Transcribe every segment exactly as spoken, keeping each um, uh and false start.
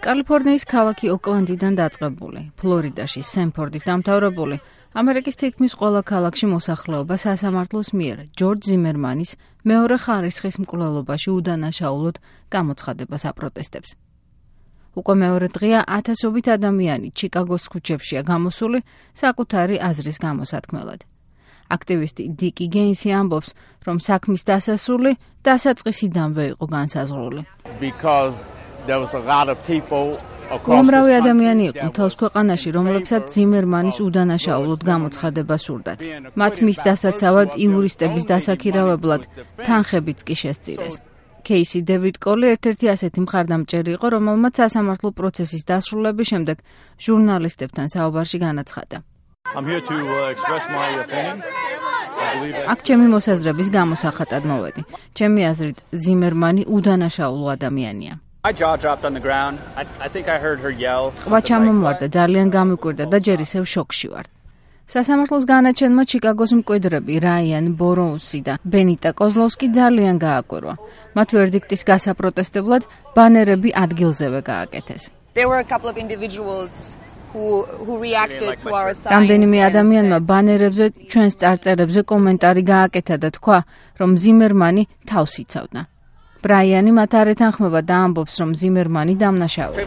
კალიფორნიის ქალაქი ოკლანდიდან დაწყებული, ფლორიდაში სენფორდით დამთავრებული, ამერიკის თითქმის ყველა ქალაქში მოსახლეობა სასამართლოს მიერ ჯორჯ ზიმერმანის მეორე ხარისხის მკვლელობაში უდანაშაულოდ გამოცხადებას აპროტესტებს. უკვე მეორე დღეა ათასობით ადამიანი ჩიკაგოს ქუჩებშია გამოსული საკუთარი აზრის გამოსათქმელად. აქტივისტი დიკი გეინსი ამბობს, რომ საქმის დასასრული დასაწყისიდანვე იყო განსაზღვრული. უამრავი ადამიანი იყო მთელს ქვეყანაში, რომლებსაც ზიმერმანის udanašaulod გამოცხადება სურდათ. მათ მის დასაცავად იურისტების დასაქირავებლად თანხებიც კი შესწირეს. კეისი დევიდ კოლი ერთ-ერთი ასეთი მხარდამჭერი იყო, რომელმაც სასამართლო პროცესის დასრულების შემდეგ ჟურნალისტებთან საუბარში განაცხადა. აქ ჩემი მოსაზრების გამოსახატად მოვედი. ჩემი აზრით, ზიმერმანი udanašaulu ადამიანია. ყვა ჩამომვარდა, ძალიან გამიკვირდა და ჯერ ისევ შოკში ვარ. სასამართლოს განაჩენმა ჩიკაგოს მკვიდრები რაიან ბოროუსი და ბენიტა კოზლოვსკი ძალიან გააკვირვა. მათ ვერდიქტის გასაპროტესტებლად ბანერები ადგილზევე გააკეთეს. რამდენიმე ადამიანმა ბანერებზე ჩვენს წარწერებზე კომენტარი გააკეთა და თქვა, რომ ზიმერმანი თავს იცავდა. ბრაიანი მათ არ ეთანხმება და ამბობს, რომ ზიმერმანი დამნაშავეა.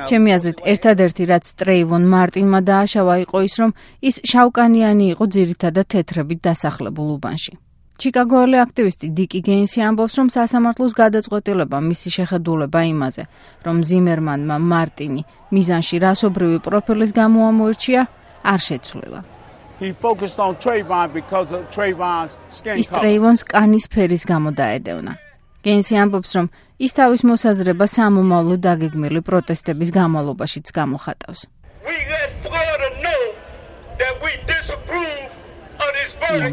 ჩემი აზრით, ერთადერთი რაც ტრეივონ მარტინმა დააშავა იყო ის, რომ ის შავკანიანი იყო ძირითადად თეთრებით დასახლებულ უბანში. ჩიკაგოელი აქტივისტი დიკი გეინსი ამბობს, რომ სასამართლოს გადაწყვეტილება მისი შეხედულება იმაზე, რომ ზიმერმანმა მარტინი მიზანში რასობრივი პროფილის გამო ამოერჩია, არ შეცვლილა. ის ტრეივონს კანის ფერის გამო დაედევნა. გეინსი ამბობს, რომ ის თავის მოსაზრება სამომავლო დაგეგმილი პროტესტების განმავლობაშიც გამოხატავს.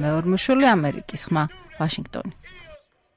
მეორმოშული ამერიკის ხმა, ვაშინგტონი.